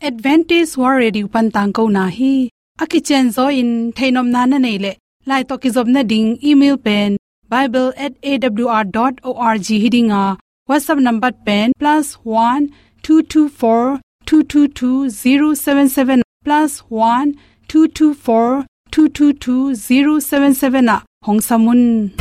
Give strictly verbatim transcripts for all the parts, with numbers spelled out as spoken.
Adventist World Radio pan tangkona hi. A kicianzaw in theihnopna na neih leh, lai tawh kizopna ding email pen bible at A W R dot O R G hi ding a, WhatsApp number pen plus one two two four two two two zero seven seven, plus one two two four two two two zero seven seven ah hong sam un.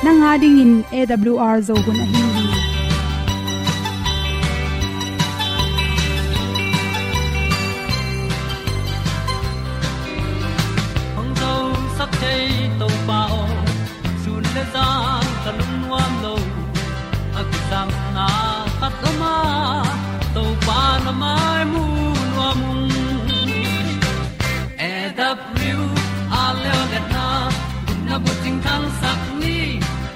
Nang a dingin A W R Zo hun ahi hi. Hong zosak thei Topa aw, sun le zan ka lungnuam lo. A kisapna khat om a, Topa na mai mu nuam ung. A W R Zo hun a bucing thangsak ni,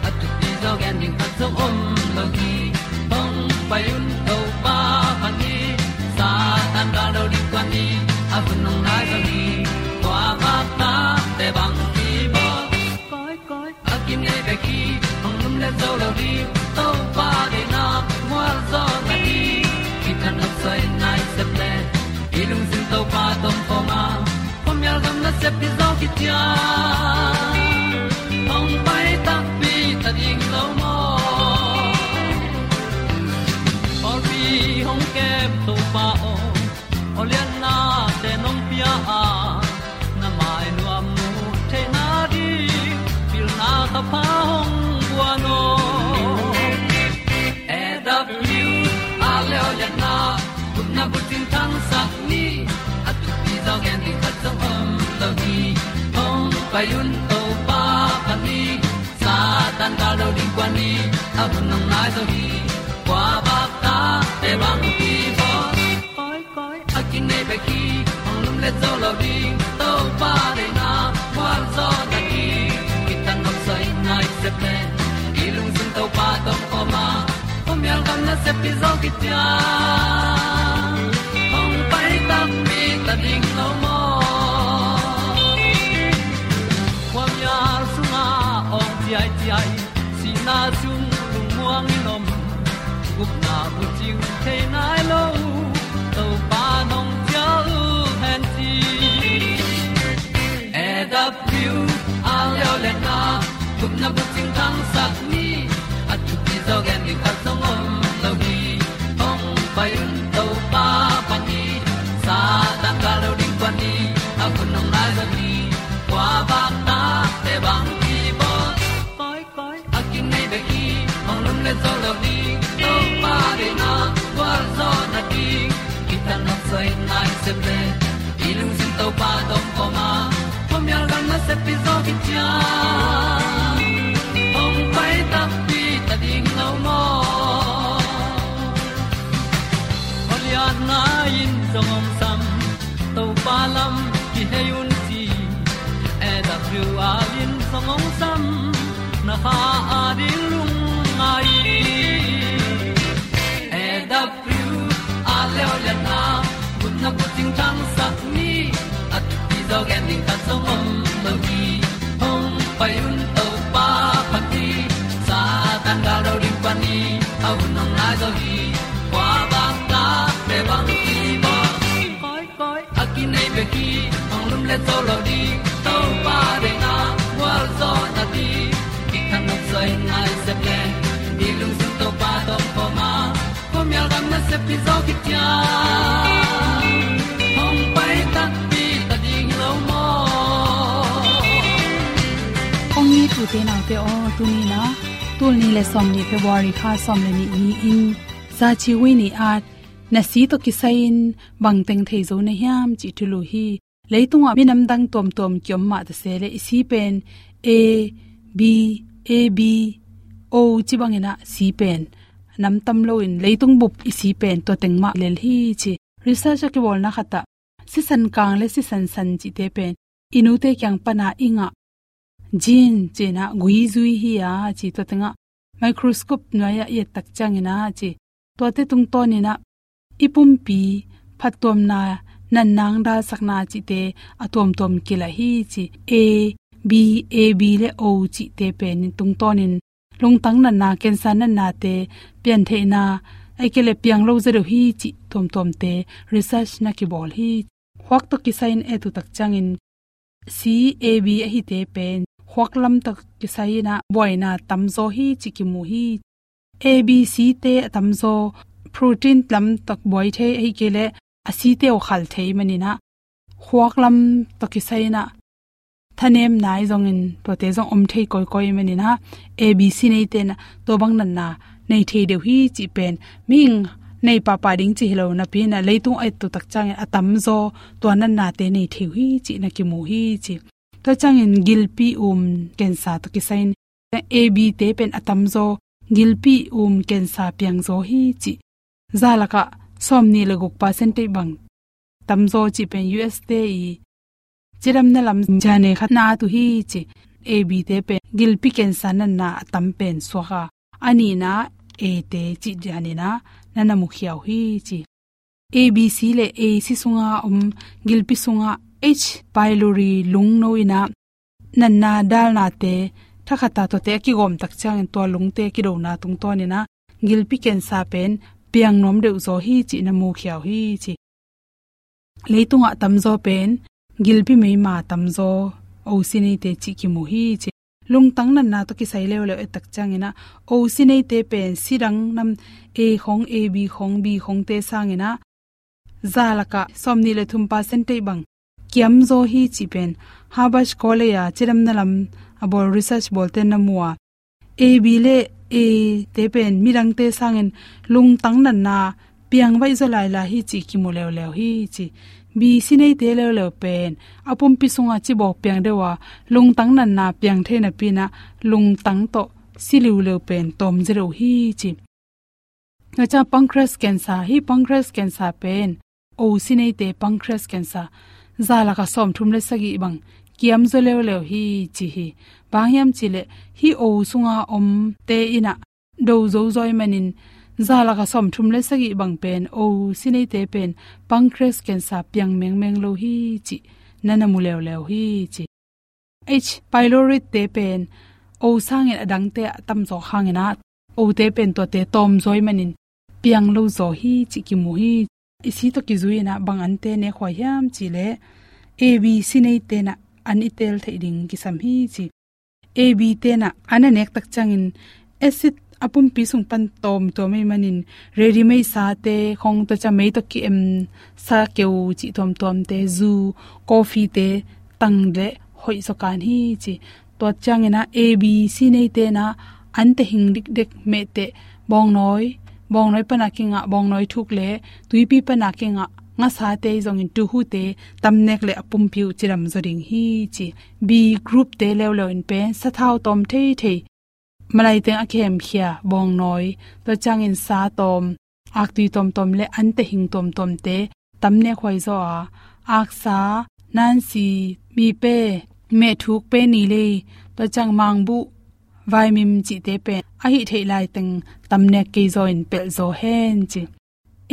a thupi zaw gen ding khat zong om lo hi. Hong pai un Topa phat ni, Satan gal lo ding tuan ni, a hun hong nai zo hi. Kua vakna te bang kibawl, koi koi a kinei bek hi. Hong lumlet zo lo ding, Topa deihna mual zaw na hi. Kithat nopsai nai sep le, i lungsim Topa tawh om khawm a, khuamial gam nasep hi zaw kician. Hong pai takpi ta ding lo maw? Pawlpi hong kem Topa aw, awlianna te nong pia a, na mai nuam mu theihna ding pilna ka pha hong guan aw. A W R Zo hun a bucing thangsak ni, a thupi zaw gen ding khat zong om lo hi. Hong pai un Topa phat ni, Satan gal lo ding tuan ni, a hun hong nai zo hi. Kua vakna te bang kibawl, koi koi a kinei bek hi. Hong lumlet zo lo ding, Topa deihna mual zaw na hi. Kithat nopsai nai sep le, i lungsim Topa tawh om khawm a, khuamial gam nasep hi zaw kician. Hong pai takpi ta ding lo maw? Khuamial sungah awng ciaiciai, sihna sung lungmuang in om, gupna bucing thei nai lo, Topa nong cial hen ci. A W R Zo hun a gupna bucing thangsak ni, a thupi zaw gen ding khat zong om lo hi. Hong pai un Topa phat ni, Satan gal lo ding tuan ni, a hun hong nai zo hi. Kua vakna te bang kibawl, koi koi a kinei bek hi. Hong lumlet zo lo ding, Topa deihna gualzawhna ding, kithat nopsai nai sep le, i lungsim Topa tawh om khawm a, khuamial gam nasep hi zaw kician. Hong pai takpi ta ding lo maw? Awlianna in zong hong sam, Topa lam kihei un ci. A W R in zong hong sam, na kha a ding lungngai. A W R Zo hun a gupna bucing thangsak ni, a thupi zaw gen ding khat zong om lo hi. Hong pai un Topa phat ni, Satan gal lo ding phat ni, a hun hong nai zo hi. Kua vakna te bang kibawl, koi koi a kinei bek hi. Hong lumlet zo lo ding, Topa deihna gualzawhna ding, kithat nopsai nai sep le, i lungsim Topa tawh om khawm a, khuamial gam nasep hi zaw kician. Hong pai takpi ta ding lo maw? Kong it ute naute aw, tuni-in ah, tul nih le sawmnih February kha sawm le nih ni-in, Zaci Wi Ni At, na si tawh kisai-in bang teng thei zo na hiam cih thulu hi. Leitungah minam dang tuamtuam kiom mah ta se leh, i si pen A, B, A B, O ci bangin ah C pen nam tam loin leitung bup i C pen tua teng mah lel hi ci. Research a kibawlna khat ah sisan kang le sisan san cihte pen i nute kiang pan a i ngah gene ci-in ah gui zui hi a ci, tua teng ah microscope nuai ah i et tak ciangin ah ci, tuate tungtawnin ah i pumpi phattuamna, natna, dalsakna cihte a tuamtuam kilah hi ci. A, B, A, B le O cihte pen tungtawnin lungtang natna, cancer natnate piantheihna, ahih kei leh piang lo zaw deuh hi cih tuamtuamte research na kibawl hi. Khuak tawh kisai-in et uh tak ciangin C, A, B ahite pen khuak lam tawh kisai-in ah buaina tamzaw hi cih kimu hi. A, B, C te a tamzaw protein lam tawh buai thei, ahih kei leh a C te uh khal thei manin ah khuak lam tawh kisai-in ah thanemna ahi zongin tuate zong om thei kawikawi manin ah A, B, C neite in ah tua bang natna nei thei deuh hi cih pen mihing nei pahpah ding cih hi lo napi-in ah leitung a et uh tak ciangin a tamzaw tua natnate nei thei uh hi cih na kimu hi ci. Tua ciangin gilpi um cancer tawh kisai-in A, B te pen a tamzaw gilpi um cancer piangzaw hi cih. Za lakah sawmnih le guk percentage bang tamzaw cih pen U S te i cidamna lam gene khat na tu hi ci. A, B te pen gilpi cancer natna a tam pen suak a, a nihna A te cih gene na na na mukhia uh hi ci. A, B, C le A, C sunga om gilpi sunga H pylori lungno in ah natna dalnate thakhat a tuate a kigawm tak ciangin tua lungte kidona tungtawnin ah gilpi cancer pen piang nuam deuh zaw hi cih na mukhia uh hi ci. Leitungah tamzaw pen gilpi meima tamzaw O C neite cih kimu hi ci. Lungtang natna tawh kisai leuleu et tak ciangin ah O C neite pen C dang nam A khong, A, B khong, B khongte sangin ah za lakah sawmnih le thum percentage bang kiamzaw hi cih pen Harvard College a cidamna lam a bawl research bawlte na mu a, A, B le A te pen midangte sangin lungtang natna piang vaih zaw lailai hi cih kimu leuleu hi ci. B, C neite leuleu pen a pumpi sungah cibawk piang deuh a, lungtang natna piang thei napi-in ah lungtang tawh si liuleu pen tawm zaw deuh hi ci. Tua ciang pancreas cancer, hih pancreas cancer pen O C neite pancreas cancer za lakah sawmthum le sagih bang kiamzaw leuleu hi ci hi. Bang hiam cih leh hih O sunga omte in ah do zo zaw ahih manin za lakah sawmthum le sagih bang pen O C neite pen pancreas cancer piang mengmeng lo hi cih na na mu leuleu hi ci. H pylori te pen O sangin a dangte a tamzaw hangin ah O te pen tuate tawmzaw ahih manin piang lo zaw hi cih kimu hi. I C tawh kizui-in ah bang ante nekhuai hiam cih leh A, B, C neite in ah an i tel theih ding kisam hi ci. A, B te in ah an a nek tak ciangin acid a pumpi sung pan tawmtuam ahih manin ready-made sate khong, tua ciang mei tawh ki-em sa keu cih tuamtuamte, zu, coffee te tang leh hoih zaw kan hi ci. Tua ciangin ah A, B, C neite in ah an tehing dikdek mehteh, bawngnawi, bawngnawi pan a kingah bawngnawi thuk leh tuipi pan a kingah ngasate ahi zongin tuhute tamnek leh a pumpi uh cidam zaw ding hi ci. B group te leuleu in pen sathau tawm theithei, malai teng a kihemkhia bawngnawi, tua ciangin sa tawm, aktui tawmtawm leh an tehing tawmtawmte tamnek huai zaw a, aksa, nansi, mipe, mehthuk, penilei, tua ciang mangbuh, vaimim cihte pen a hih theih lai teng tamnek kei zaw in pelh zaw hen ci.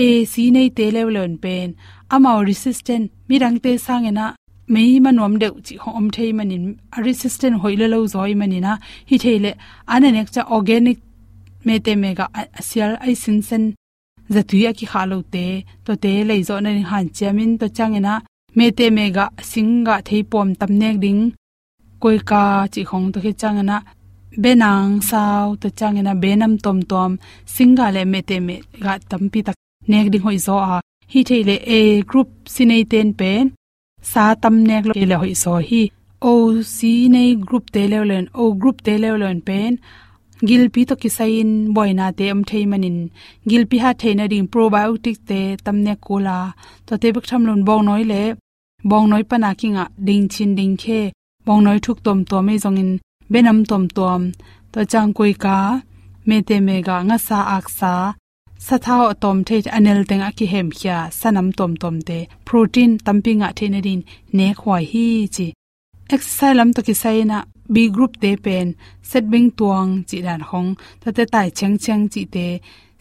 A, C neite leuleu in pen amau resistant, midangte sangin ah mei ma nuam deuh cih hong om thei manin a resistant hoih lua lo zaw ahih manin ah, hi thei leh an a nek ciang organic mehteh mehgah a, a sial a i sinsen zatui a kikhah lote, tuate lei zawh nading hanciamin, tua ciangin ah mehteh mehgah, singgah theipuam tamnek ding, koika cih khong, tua khit ciangin ah benang sau, tua ciangin ah benam tuamtuam, singgah leh mehteh mehgah tampi tak nek ding hoih zaw a, hi thei leh A group C neite in pen sa tamnek lo kei leh hoih zaw hi. O, C nei group te leuleu in, O group te leuleu in pen gilpi tawh kisai-in buainate om thei manin gilpi hat theih nading probiotic te tamnek kul a, tuate bek tham loin bawngnawi leh bawngnawi pan a kingah dingchin dingkhe, bawngnawi thuk tuamtuam ahi zongin benam tuamtuam, tua ciang koika, mete mega, ngasa, aksa, sathau a tawm thei, a nel teng a kihemkhia sanam tuamtuamte, protein tampi ngah theih nadin nekhuai hi ci. Exercise lam tawh kisai in ah B group te pen set beng tuang cih dan khong, tate tai chengcheng cihte,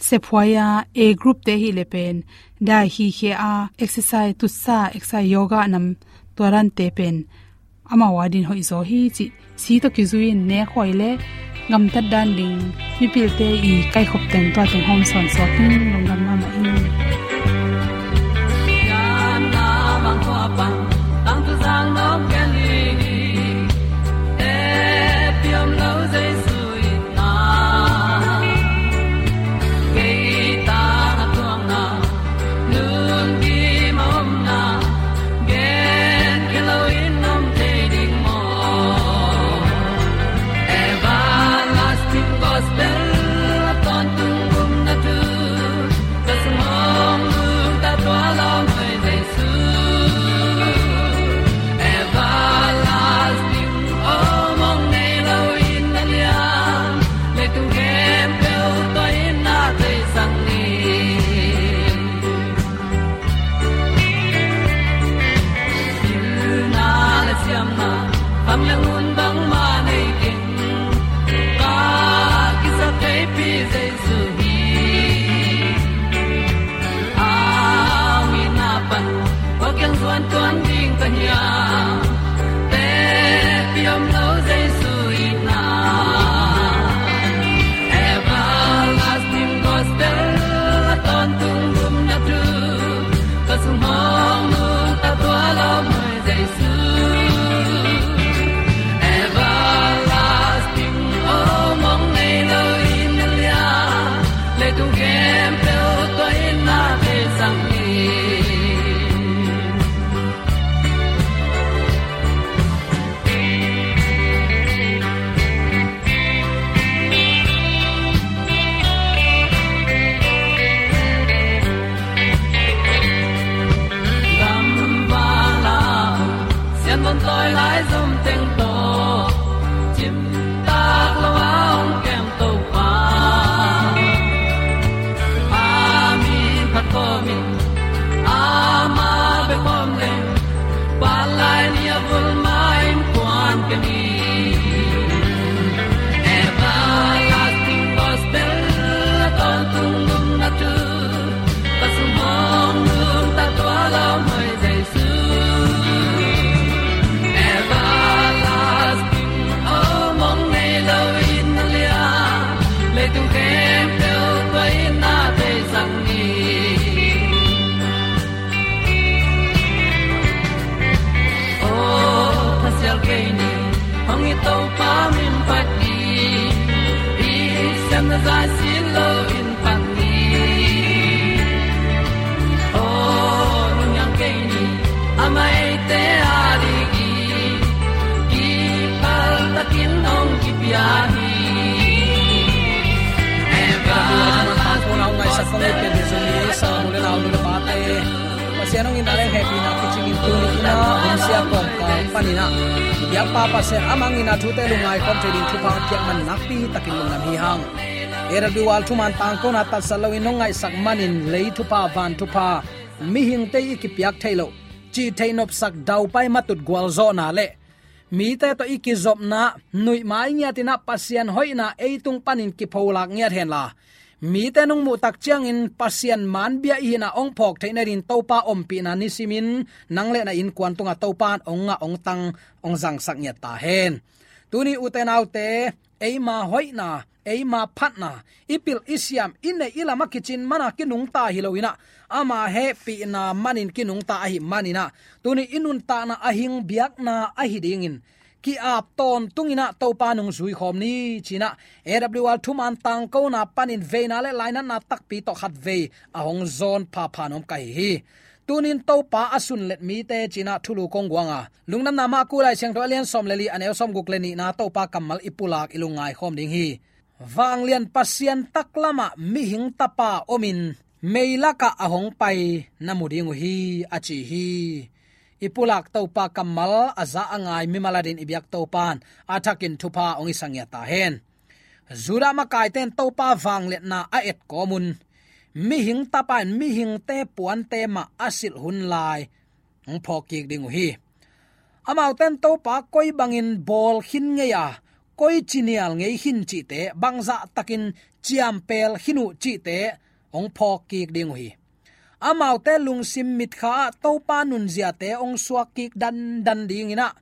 sephuai a, A group te hi le pen dai hi khia a, exercise tutsa, exercise yoga nam, tua dante pen amau a din hoih zaw hi cih si tawh kizui in nekhuai le gamtat dan ding mipilte i kaikhop teng tua teng hawm sawn suak in lungdam mahmah in. Pasian hong itna le hehpihna kicingin tuni in ah hong sia kawmkal panin ah i biakpa Pasian amah hong itna thute lungngai khawm thei ding thupha a piak man nakpi takin lungdam hi hang. A W R thuman tangkona tatsat loin hong ngaihsak manin lei thupha, van thupha, mihingte i kipiak theih loh, cih theih nopsak daupai matut gualzawhna le mite tawh i kizopna, nuihma i ngiatin ah Pasian hoihna ei tung panin kipholak ngiat henla, mite nong muhtak ciangin Pasian manbia i hihna hong phawk theih nadin Topa ompihna nisimin nang le na innkuan tungah Topa in hong ngah, hong tang, hong zangsak ngiat ta hen. Tuni ute naute, eima hoihna, eima phatna, i pilh i siam, i neih i lam a kicin mana kinungta hi loin ah, ama hehpihna manin kinungta ahih manin ah, tuni i nuntakna a hing biakna ahi dingin ki-ap tawntungin ah Topa nungzui khawm ni ci-in ah A W R thuman tangkona panin veina le lainatna takpi tawh khatvei a hong zawn phapha nuam ka hi hi. Tunin Topa a sunlet mite ci-in ah thulu kong guang a, Lungdamna Marku Lai Siangtho a lian sawm le li, a neu sawmguk le nihna Topa kammal i pulak i lungngai khawm ding hi. Vanglian Pasian taklamah mihing tapa omin meilakah a hong pai na mu ding uh hi, a ci hi. I pulak Topa kammal a za a ngai mimal adin i biak Topa in a thakin thupha hong i sangiat ta hen. Judah makaite in Topa vangliatna a et kawmun, mihing tapa in mihingte puante mah a silh hun lai hong phawk kik ding uh hi. Amaute in Topa koi bangin bawl khin ngei a, koi cinial ngei khin cihte, bangzah takin ciampel khin uh cihte hong phawk kik ding uh hi. Amaute lungsim mitkha ah Topa nunziate hong suak kik dandan dingin ah,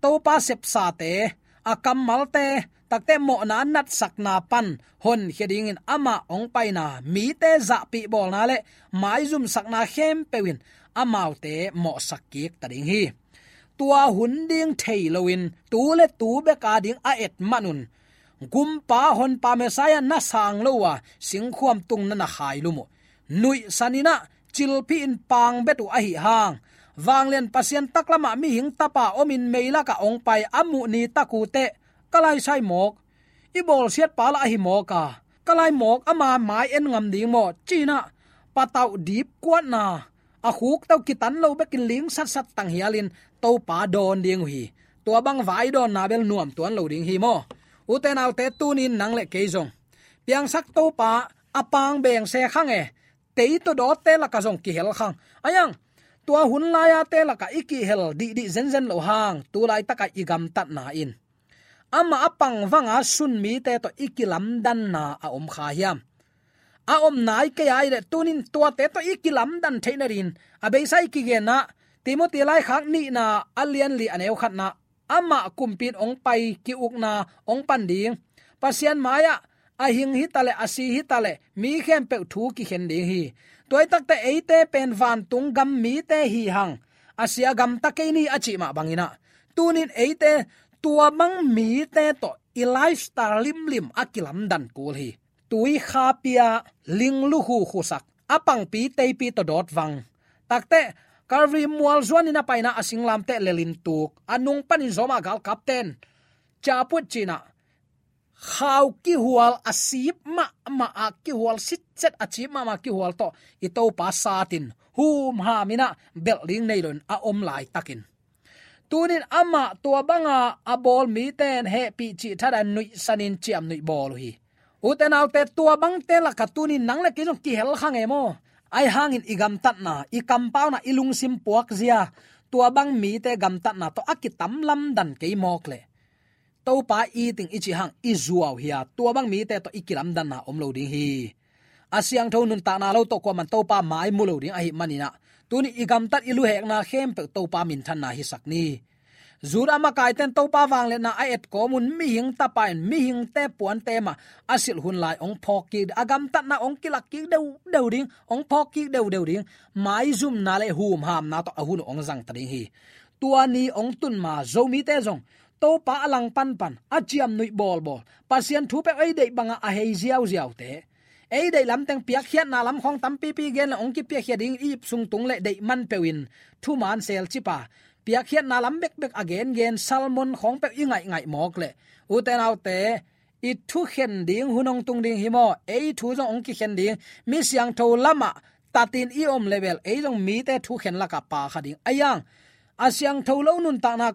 Topa sepsate, a kammalte, takte mawhna natsakna pan honkhia dingin amah hong paina, mite zahpih bawlna le maizumsakna khempeuh in amaute mawhsak kik ta ding hi. Tua hun ding thei loin tu le tu beka ding a et manun, gumpa honpa Messiah na sang lo a, singkhuam tung na na khailum uh. Nuihsan in ah, cilphih in pangbet uh ahi hang, vanglian Pasian taklamah mihing tapa omin meilakah hong pai a muh ni tak uh teh, ka laisai mawk, i bawlsiat pa lah ahi mawk a, ka lai mawk ama mai en ngam ding maw, ci-in ah, patauh dip kuatna, a khukto kitan lo bekin ling satsat tanghialin Topa dawn ding uh hi. Tua bang vai dawnna bel nuam tuan lo ding hi maw. Ute naute, tunin nang le kei zong piangsak Topa a pang beng se khang e, tei tawh dawtte lakah zong kihel khang. Ayang, tua hun lai-ate lakah i kihel dihdih zenzen loh hang, tu laitakah i gamtatna in amah a pang vanga sun mite tawh i kilamdanna a om kha hiam? A om nai kei a i leh tunin tuate tawh i kilamdan theih nadingin a beisa i kigenna Timoti laikhak nihna a lian li a neu khatna, amah kumpi in hong pai ki-ukna hong pan ding. Pasian mai-ah a hing hitaleh, a si hitaleh, mi khempeuh thu kikhen ding hi. Tua hi takte eite pen vantung gam mite hi hang, a sia gamta kei ni a cih mah bangin ah, tunin eite tua bang mite tawh i lifestyle limlim a kilamdan kul hi. Tui kha pia, ling lukhu khusak, a pangpi teipi tawh dawt vang. Takte, Calvary mual zuanin a paina a singlamteh lelin tuk, a nung panin Roma galkapten ciaput ci-in ah, khau kihual a sip mahmah a kihual sitset a cip mahmah kihual tawh i Topa satin humham in ah belh ding nei loin a om laitakin, tunin amah tua banga a bawl mite in hehpih cih thadah nuihsanin ciamnuih bawl uh hi. Ute naute, tua bangte lakah tunin nang le kei zong kihel khang e maw. Ahi hangin i gamtatna, i kampauna, i lungsim puakzia, tua bang mite gamtatna tawh a kitam lamdan kei mawk leh, Topa i ting i cih hang i zuau hi a, tua bang mite tawh i kilamdanna om lo ding hi. A siangtho nuntakna lo tawh kuaman Topa mai mu lo ding ahih manin ah, tuni i gamtat i luhekna khempeuh Topa minthanna hisak ni. Judah makaite in Topa vangliatna a et kawmun mihing tapa in mihingte puante mah a silh hun lai hong phawk kik, a gamtatna hong kilak kik deuhdeuh ding, hong phawk kik deuhdeuh ding, maizumna le humhamna tawh a hun uh hong zang ta ding hi. Tua ni hong tun ma Zomite zong Topa a langpanpan, a ciamnuih bawlbawl, Pasian thu peuh ei deih banga a hei ziauziaute, ei deih lamteng piakkhiatna lam khawng tampipi gen le hong kipiakhia ding i ip sung tung le deih man peuhin thuman selcip a, piakkhiatna lam bekbek a gengen sermon khawng peuh i ngaihngaih mawk leh, ute naute, i thukhen ding hun hong tung ding hi maw. Ei thu zong hong kikhen ding, mi siangtho lamah tatin i om leh bel ei zong mite thukhen lakah pha kha ding. Ahi hang, a siangtho lo nuntakna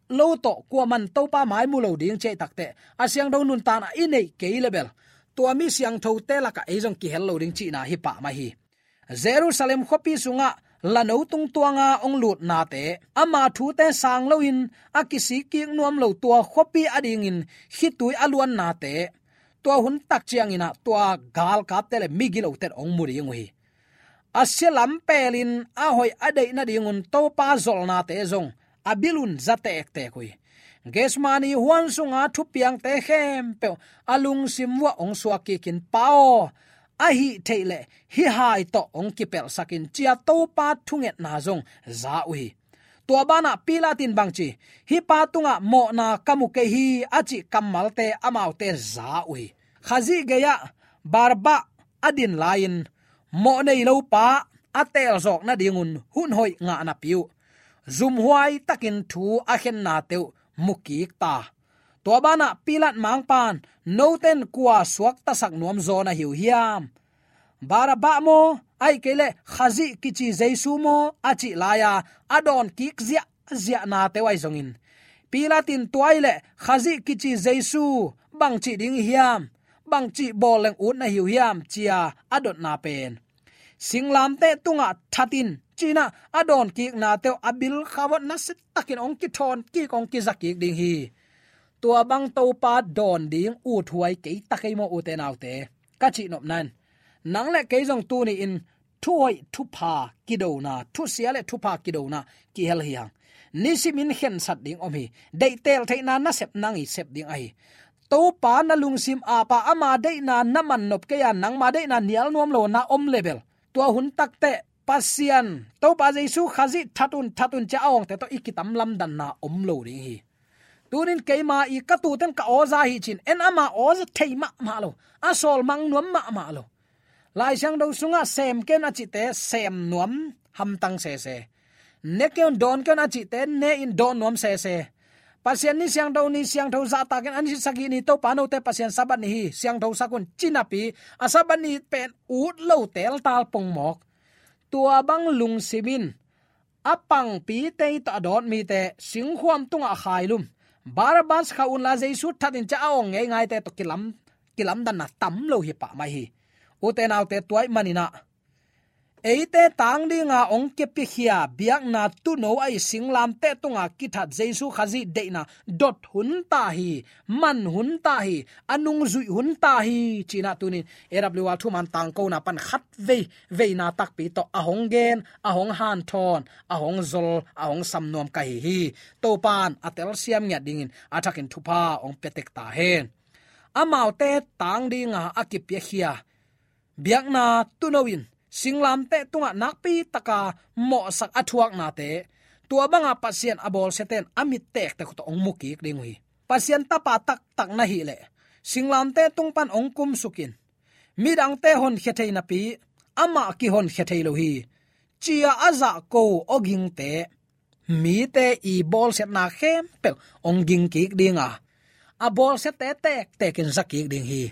lo tawh kuaman Topa mai mu lo ding ci ahih takteh, a siangtho nuntakna i neih kei leh bel, tua mi siangthote lakah ei zong kihel lo ding cihna hi pah mah hi. Jerusalem khuapi sungah lano tungtuanga hong lutnate, ama thute sang loin a kisik kik nuam lo tua khuapi adingin khitui a luannate, tua hun tak ciangin ah tua galkapte le migilote in hong mu ding uh hi. A sia lam pelin a hoih a deih nadingun Topa zolhnate zong a bilun za tektek uh hi. Gethsemane huan sunga thupiangte khempeuh a lungsim uah hong suak kikin, Pa aw, ahih theih leh hih hai tawh hong kipelhsak in, ci-a Topa thungetna zong za uh hi. Tua banah Pilat in bangci, hih pa tungah mawhna ka mu kei hi, a cih kammalte amaute za uh hi. Khazih gei-ah Barabba a din lai-in, mawh nei lo pa a teelzawk nadingun hun hoih ngah napi uh, zumhuai takin thu a khennate uh mu kik ta. Tua banah Pilat mangpan, note in kua suaktasak nuam zaw na hi uh hiam? Barabba maw, ahih kei leh Khazih kici Jesu maw, a cih lai-a a dawn kik ziahziahnate uh ahi zongin, Pilat in tua ahih leh Khazih kici Jesu, bangci ding hiam, bangci bawl leng ut na hi uh hiam, ci-a a dotna pen singlamteh tungah that in, ci-in ah a dawnkiknate uh a bilkha uah nasia takin hong kithawn kik, hong kiza kik ding hi. Tua bang Topa dawn ding uthuai kei ta kei maw, ute naute? Ka cih nopna in, nang le kei zong tuni-in thuhoih thupha kidona, thusia le thupha kidona kihel hi hang. Nisimin khensat ding om hi. Deihtel theihna nasep nang i sep ding ahi. Topa na lungsim apa ama deihna na mannop kei a, nangma deihna nial nuam lo na om le bel, tua hun takteh Pasian, Topa Jesu Khazih that un, that un, ci-a a awngte tawh i kitam lamdanna om lo ding hi. Tunin keima i ka tute'n ka awza hi ci-in en, ama awza thei mahmah lo, a sawlmang nuam mahmah lo. Lai Siangtho sungah sem kei un a cihte sem nuam hamtang sese. Ne kei un, dawn kei un a cihte ne-in dawn nuam sese. Pasian ni siangtho, ni siangtho zahtakin a ni sagih ni Topa note Pasian Sabbath ni hi, siangtho sak un, ci napi a Sabbath ni pen ut lo teltal pongmawk. Tua bang lungsim in a pangpite tawh a dawt mite singkhuam tungah a khailum, Barabbas khah unla Jesu that in, ci-a a awng ngeingaite tawh kilam, kilamdanna tam lo hi pah mai hi. Ute naute, tua ahih manin ah eite tang dinga hong kipiakhia biakna tuuno ahi singlamteh tunga kithat Jesu Khazih deihna dot hun ta hi, man hun ta hi, a nungzuih hun ta hi, ci-in ah tunin A W R thuman tangkona pan khat vei veina takpi tawh a hong gen, a hong hanthawn, a hong zol, a hong sam nuam ka hi hi. Topa'n a telsiam ngiat dingin a thakin thupha hong pia tek ta hen. Amaute tang dinga a kipiakhia biakna tuuno in singlamteh tungah nakpi taka mawhsak a thuaknate, tua banga Pasian a bawlsiate'n a mit tektek uh tawh hong mu kik ding uh hi. Pasian tapa taktak na hih leh singlamteh tung pan hong kumsuk in, midangte honkhia thei napi amah kihonkhia thei lo hi, ci-a a zahko awgingte, mite i bawlsiatna khempeuh hong ging kik dinga, a bawlsiate tektekin za kik ding hi.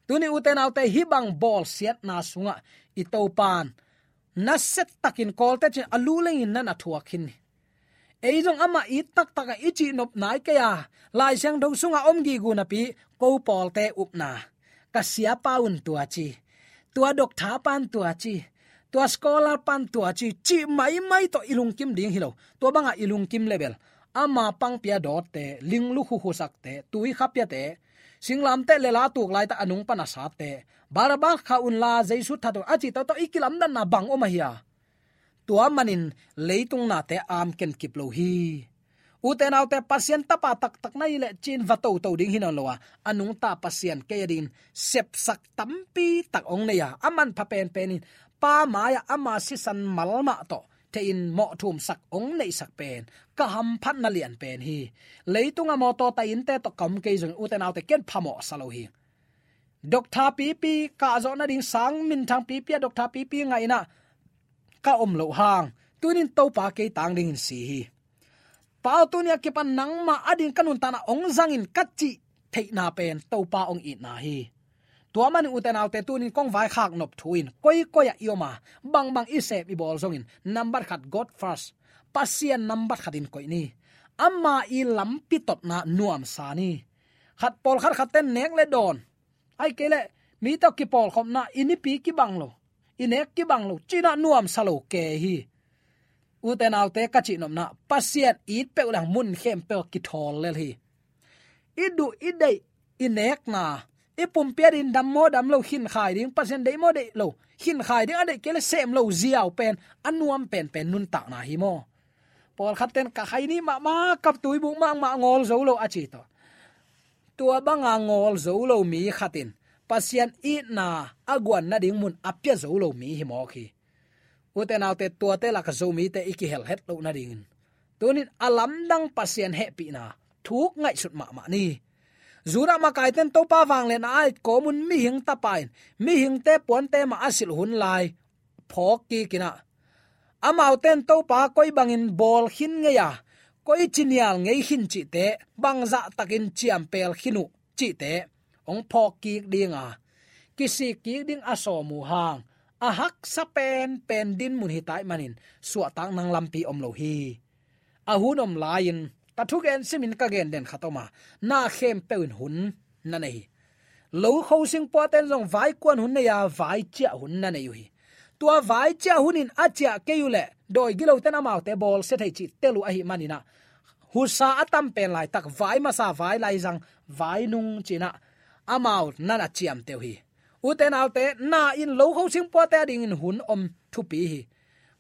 Tuni ute naute, hih bang bawlsiatna sungah i Topa'n nasia takin Kawlte cin a lu lengin na na thuak khin hi. Ei zong amah it taktak a i cihnop nai kei a, Lai Siangtho sungah om gige napi, ko pawlte upna, ka siapa un tua ci, tua doctor pa'n tua ci, tua scholar pa'n tua ci, cih maimai tawh i lungkim ding hi lo. Tua banga i lungkim le bel, ama pangpi a dawtte, linglu khukhusakte, tui khapiate, singlamteh lela tuk laitak a nung pan a satte, Barabbas khah unla Jesu that un a cih tawhtawh i kilamdanna bang om ahi a? Tua manin leitung nate amken kip lo hi. Ute naute, Pasian tapa taktak na hih leh cin va toto ding hi nawn lo a, a nungta Pasian kei a dingin sepsak tampi tak hong nei a, a manpha penpen in Pa mai-ah ama sisan mal mah tawh thei-in mawhthumsak hong neihsak pen ka hamphatna lian pen hi. Leitung a mawtaw tai innte tawh ka om kei zongin ute naute, ken phamawh sa lo hi. Doctor pipi, kahzawh nading sang minthang pipi a doctor pipi ngaihna ka om loh hang, tunin Topa kei tang dingin si hi. Pa aw, tuni a kipan nangmah a ding ka nuntakna hong zang in ka cih theihna pen Topa hong itna hi. Tua manin ute naute, tunin kong vaikhak nop thu in, koikoi ah i om a, bangbang i sep i bawl zongin, nambat khat, God first, Pasian nambat khatin koih ni. Ama i lampi totna nuamsa ni. Khat, pawlkhat khatte nek le dawn, ahih kei leh mi tawh kipawlkhopna, i nipi kibang lo, i nek kibang lo, ci-in ah nuamsa lo kei hi. Ute naute, ka cihnopna, Pasian it peuh leng mun khempeuh kithawl lel hi. I duh i deih, i nekna, i pumpi a ding dam maw dam lo, khinkhai ding, Pasian deih maw deih lo, khinkhai ding, a deih kei leh sem lo ziau pen a nuam penpen nuntakna hi maw? Pawlkhat ten ka khaini mahmah, ka tuibuk mahmah, ngawl zo lo a ci tawh. Tua banga ngawl zo lo mi khat in Pasian itna a guan nading mun a pia zo lo mi hi mawk hi. Ute naute, tuate lak Zomite i kihel het loh nadingin tunin a lamdang Pasian hehpihna thuk ngaihsut mahmah ni. Judah makaite'n Topa vangliatna a et kawm un mihing tapa in mihingte puante mah a silh hun lai phawk kik in ah, amaute in Topa koi bangin bawl khin ngei a, koi ci nial ngei khin cihte, bangzah takin ciampel khin uh cihte hong phawk kik ding a, kisik kik ding a sawm uh hang, a haksa penpen dinmun hi ta ahih manin suahtak nang lampi om lo hi. A hun om lai-in ka thugen simin ka gen den khat om a, na khempeuh in hun na nei hi. Lo khosing puate'n zong vaikuan hun nei a, vaiciah hun na nei uh hi. Tua vaiciah hun in a ciah kei uh leh dawi gilote'n amaute bawlsia thei cih tel uh ahih manin ah, husa a tam pen laitak, vai masa, vai laizang, vai nung ci-in ah amau na na ciamteh uh hi. Ute naute, na in lo khosing puate adingin hun om thupi hi.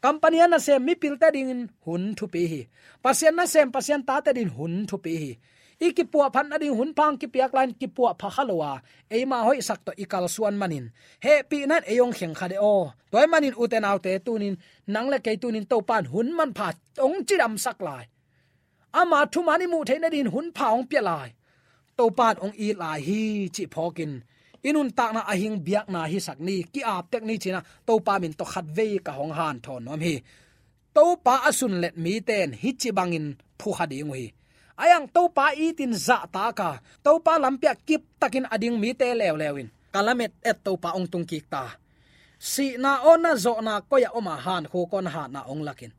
Company a nasem mipilte adingin hun thupi hi. Pasian nasem Pasian tate adingin hun thupi hi. I kipuahphat nading hun pha hong kipiak lai-in kipuahpha kha lo a, eima hoihsak tawh i kalsuan manin, hehpihna in ei hong kheng kha de aw. Tua ahih manin ute naute, tuni-in nang le kei tuni-in Topa'n hun manpha hong cidamsak lai. Ama thuman i muh theih nadingin hun pha hong pia lai. Topa'n hong it lai hi cih phawkin, i nuntakna a hing biakna hisak ni, ki-ap tek ni ci-in ah Topa min tawh khatvei ka hong hanthawn nuam hi. Topa a sunlet mite'n hih ci bangin phukha ding uh hi. A iang Topa itin zahtak a, Topa lampi ah kiptakin a ding mite leuleu in, ka lamet et Topa hong tungkik ta. Sihna aw, na zawhna koi-ah om a, hankhuk aw, na hatna hong lak in.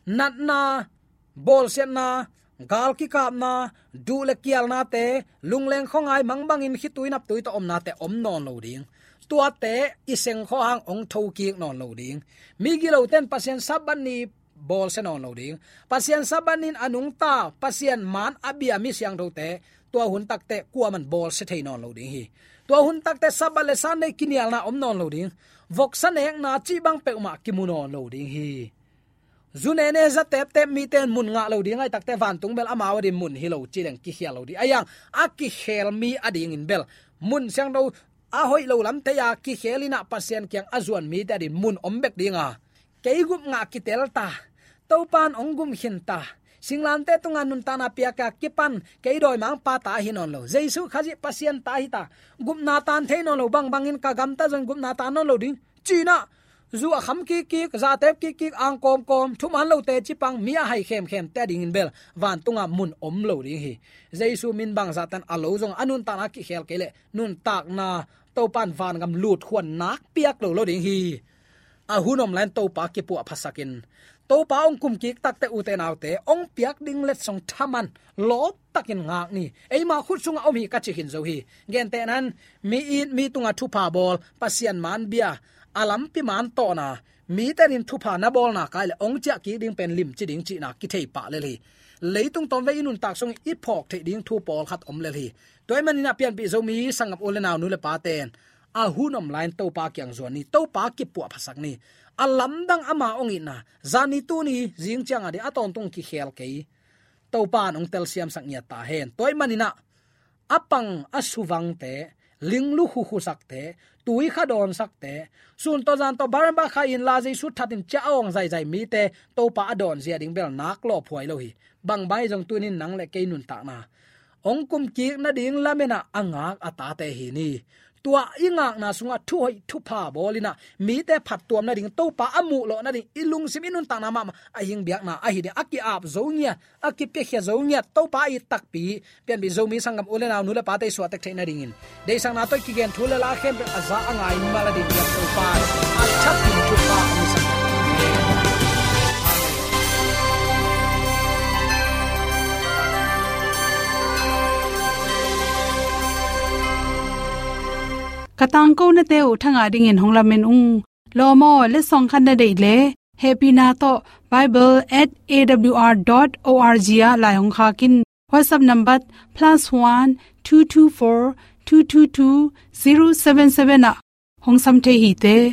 Natna, bawlsiatna, gal kikapna, duh le kialnate, lungleng khuangai mang bangin khitui naptui tawh omnate om nawn lo ding. Tuate i seng khawng hang hong thokik nawn lo ding. Migilote'n Pasian Sabbath ni bawlsia nawn lo ding. Pasian Sabbath ni-in a nungta, Pasian man a bia mi siangthote, tua hun takteh kuaman bawlsia thei nawn lo ding hi. Tua hun takteh Sabbath le Sunday kinialna om nawn lo ding. Voksa nekna cih bang peuhmah kimu nawn lo ding hi. Zu nene za teptep mite'n mun ngah lo ding ahih takteh, vantung bel amau adingin mun hi lo ci leng kikhial lo ding. A iang a kikhel mi adingin bel, mun siangtho a hoih lo lam thei-a kikhel in ah Pasian kiang a zuan mite adingin mun om bek ding a, kei gup ngah kitel ta, Topa'n hong gum khin ta, singlamteh tungah nuntakna piak a kipan kei dawimangpa ta hi nawn lo, Jesu Khazih Pasian ta hi ta, gupna tan thei nawn lo, bangbangin ka gamta zong gupna tan nawn lo ding ci-in ah, zu a kham kikkik, za tep kikkik, ang kawmkawm, thuman lote cih bang, mi a hai khemkhemte adingin bel vantungah mun om lo ding hi. Jesu min bangzah tan a lo zong a nuntakna kikhel kei leh, nuntakna Topa'n vangam lut khuan nak piak lo lo ding hi. A hun om lai-in Topa kipuahphasak in, Topa hong kumkik takteh ute naute, hong piak ding letsong thaman lawptakin ngak ni. Eima khut sungah om hi ka ci khin zo hi. Gentehna-in, mi it, mi tungah thupha bawl, Pasian man bia, a lampi man tawhna, mite adingin thupha na bawlna kai leh hong ciah kik ding pen limci ding cihna kithei pah lel hi. Leitung tawmvei i nuntak sungin i phawk theih ding thu pawlkhat om lel hi. Tua ahih manin ah pianpih Zomi sanggam u le nau, nu le pate'n, a hun om lai-in Topa kiang zuan ni, Topa kipuahphasak ni. A lamdang ama hong itna, zani tuni zing ciang ading a tawntung kikhel kei, Topa'n hong telsiamsak ngiat ta hen. Tua ahih manin ah, a pang a suvangte, linglu khukhusakte, tui kha dawnsakte, sun tawh zan tawh Barnabas kha inla Jesu thatin ciah a awng zaizai mite, Topa a dawnzia ding bel nak lawphuai lo hi. Bang bang hi zong tuni-in nang le kei nuntakna hong kumkik nading lamen ah a ngak a tate hi ni. Tua i ngakna sungah thuhoih thupha bawl in ah, mite phattuam nading, Topa a muh lawh nading, i lungsim, i nuntakna mahmah a hing biakna ahi ding, a ki-ap zo ngiat, a kipiakhia zo ngiat, Topa a it takpi, pianpih Zomi sanggam u le nau, nu le pate i suahtek theih nadingin, deihsakna tawh i kigen thu le la khempeuh a za a ngai mal a ding biak Topa in a thakin thupha hong hisak. Ka tangkonate uh thangah dingin hong lamen ung. Lawm aw, letsong khat na deih leh, hehpihna tawh bible at A W R dot O R G ah lai hong khak in. WhatsApp number plus one two two four two two two zero seven seven ah hong sam thei hi te.